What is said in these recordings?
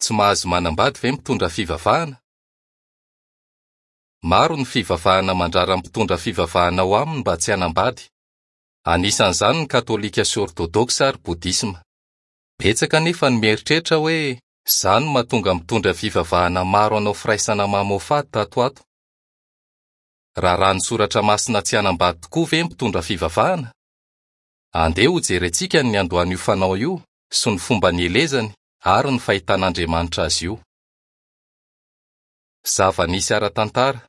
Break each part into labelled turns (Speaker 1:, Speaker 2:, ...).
Speaker 1: Tsy mahazo manambady ve mitondra fivavahana? Maro ny fivavahana mandrara ny mpitondra fivavahana ao aminy mba tsy hanambady. Anisan'izany ny Katolika sy Ortodoksa ary Bodisma. Betsaka anefa ny mieritreritra hoe izany no mahatonga mitondra fivavahana maro hanao firaisana mamoafady tato ho ato. Raràn'ny Soratra Masina tsy hanambady tokoa ve ny mpitondra fivavahana? Andeha hojerentsika ny niandohan'io fanao io sy ny fomba nielezany ary ny fahitan'Andriamanitra azy io. Zava-nisy ara-tantara.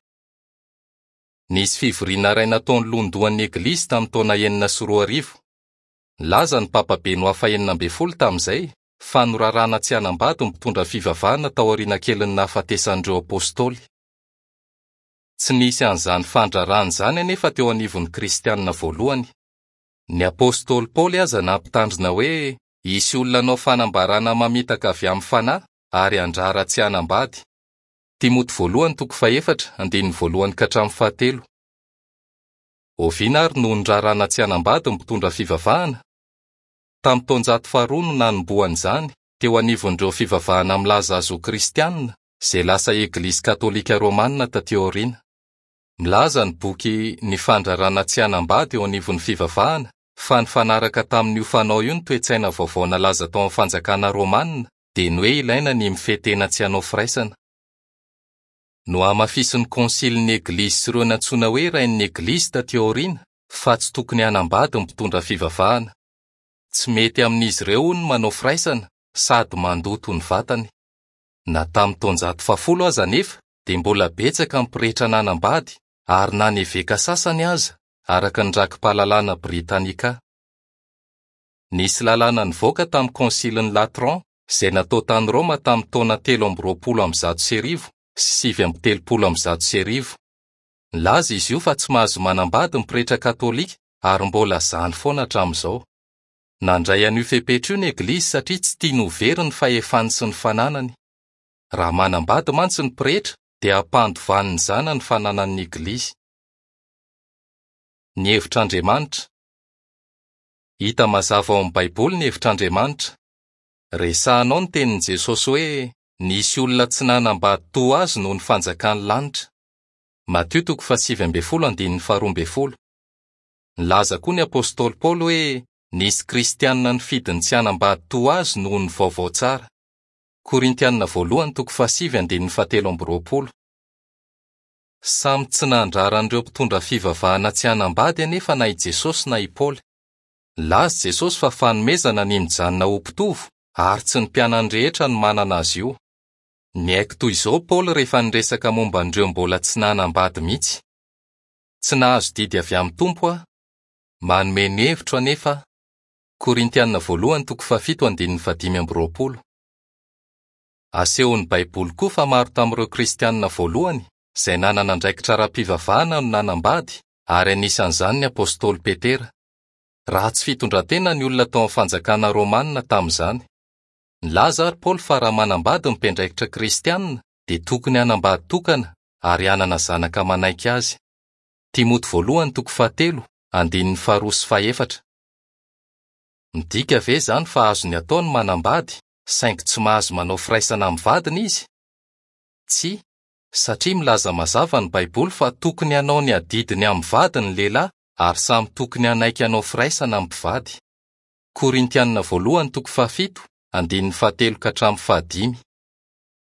Speaker 1: Nisy fivoriana iray nataon'ny lohandohan'ny Eglizy tamin'ny taona 2006. Nilaza ny Papa Benoît fahenina ambin'ny folo tamin'izay fa norarana tsy hanambady ny mpitondra fivavahana taoriana kelin'ny nahafatesan'ireo apostoly. Tsy nisy an'izany fandrarana izany anefa teo anivon'ny Kristianina voalohany. Ny apostoly Paoly aza nampitandrina hoe hisy olona hanao fanambarana mamitaka avy amin'ny fanahy ary handrara tsy hanambady. Timoty voalohany toko fahefatra, andininy voalohany ka hatramin'ny fahatelo. Oviana àry no nirarana tsy hanambady ny mpitondra fivavahana? Tamin'ny taonjato faharoa no nanombohana izany, teo anivon'ireo fivavahana milaza azy ho kristianina, izay lasa Eglizy Katolika Romanina tatỳ aoriana. Milaza ny boky Ny Fandrarana Tsy Hanambady eo Anivon'ny Fivavahana fa nifanaraka tamin'io fanao io ny toe-tsaina vaovao nalaza tao amin'ny Fanjakana Romanina, dia ny hoe ilaina ny mifehy tena tsy hanao firaisana. Nohamafisin'ny Kônsilin'ny Eglizy sy ireo nantsoina hoe Rain'ny Eglizy tatỳ aoriana fa tsy tokony hanambady ny mpitondra fivavahana. Tsy mety amin'izy ireo, hono, ny manao firaisana sady mandoto ny vatany. Na tamin'ny taonjato fahafolo aza anefa dia mbola betsaka ny pretra nanambady ary na ny eveka sasany aza, araka ny Rakipahalalana Britannica. Nisy lalàna nivoaka tamin'ny Kônsilin'i Latran izay natao tany Roma tamin'ny taona 1123 sy 1139. Nilaza izy io fa tsy mahazo manambady ny pretra katolika ary mbola izany foana hatramin'izao. Nandray an'io fepetra io ny Eglizy satria tsy tiany ho very ny fahefany sy ny fananany. Raha manambady mantsy ny pretra dia ampandovany ny zanany ny fananan'ny Eglizy. Ny hevitr'Andriamanitra. Hita mazava ao amin'ny Baiboly ny hevitr'Andriamanitra. Resahina ao ny tenin'i Jesosy hoe nisy olona tsy nanambady toa azy noho ny fanjakan'ny lanitra. Matio toko fahasivy ambin'ny folo andininy faharoa ambin'ny folo. Nilaza koa ny apostoly Paoly hoe nisy Kristianina nifidy ny tsy hanambady toa azy noho ny vaovao tsara. Korintianina voalohany toko fahasivy andininy fahatelo amby roapolo. Samy tsy nandrara an'ireo mpitondra fivavahana tsy hanambady anefa na i Jesosy na i Paoly. Nilaza i Jesosy fa fanomezana ny mijanona ho mpitovo ary tsy ny mpianany rehetra no manana azy io. Niaiky toy izao Paoly rehefa niresaka momba an'ireo mbola tsy nanambady mihitsy, Tsy nahazo didy avy amin'ny Tompo aho. Manome ny hevitro anefa aho. Korintiana voalohany toko fahafito andininy fahadimy amby roapolo. Asehon'ny Baiboly koa fa maro tamin'ireo Kristianina voalohany izay nanana andraikitra ara-pivavahana no nanambady, ary anisan'izany ny apostoly Petera. Ratsy fitondran-tena ny olona tao amin'ny Fanjakana Romanina tamin'izany. Nilaza àry Paoly fa raha manambady ny mpiandraikitra kristianina, dia tokony hanambady tokana ary hanana zanaka manaiky azy. Timoty voalohany toko fahatelo, andininy faharoa sy fahefatra. Midika ve izany fa azony atao ny manambady saingy tsy mahazo manao firaisana amin'ny vadiny izy? Tsia, satria milaza mazava ny Baiboly fa tokony hanao ny adidiny amin'ny vadiny ny lehilahy ary samy tokony hanaiky hanao firaisana ny mpivady. Korintianina voalohany toko fahafito, andininy fahatelo ka hatramin'ny fahadimy.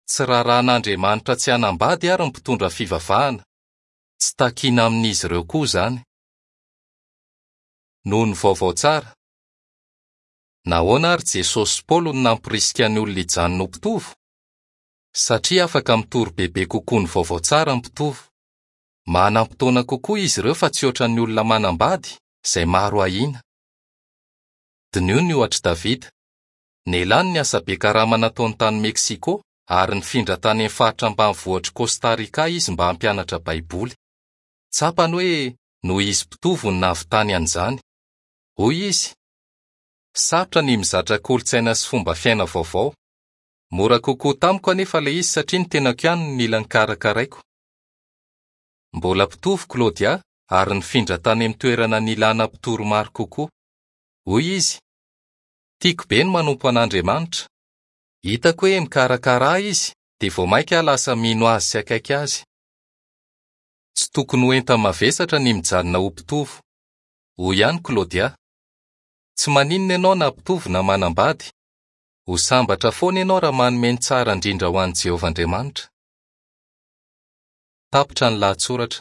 Speaker 1: Tsy raràn'Andriamanitra tsy hanambady àry ny mpitondra fivavahana. Tsy takina amin'izy ireo koa izany. Noho ny vaovao tsara. Nahoana àry Jesosy sy Paoly no nampirisika ny olona hijanona ho mpitovo? Satria afaka mitory bebe kokoa ny vaovao tsara ny mpitovo. Manam-potoana kokoa izy ireo fa tsy hoatran'ny olona manambady, izay maro ahiana. Diniho ny ohatr'i Davida. Nelany ny asa be karama nataony tany Mexico ary nifindra tany amin'ny faritra ambanivohitr'i Costa Rica izy mba hampianatra Baiboly. Tsapany hoe noho izy mpitovo no nahavitany an'izany. Hoy izy, Sarotra ny mizatra kolontsaina sy fomba fiaina vaovao. Mora kokoa tamiko anefa ilay izy satria ny tenako ihany no nila nokarakaraiko. Mbola mpitovo Claudia ary nifindra tany amin'ny toerana nilana mpitory maro kokoa. Hoy izy, Tiako be ny manompo an'Andriamanitra. Hitako hoe mikarakara ahy izy, dia vao mainka aho lasa mino azy sy akaiky azy. Tsy tokony ho enta-mavesatra ny mijanona ho mpitovo. Hoy ihany Claudia, Tsy maninona ianao na mpitovo na manambady. Ho sambatra foana ianao raha manome ny tsara indrindra ho an'i Jehovah Andriamanitra. Tapitra ny lahatsoratra.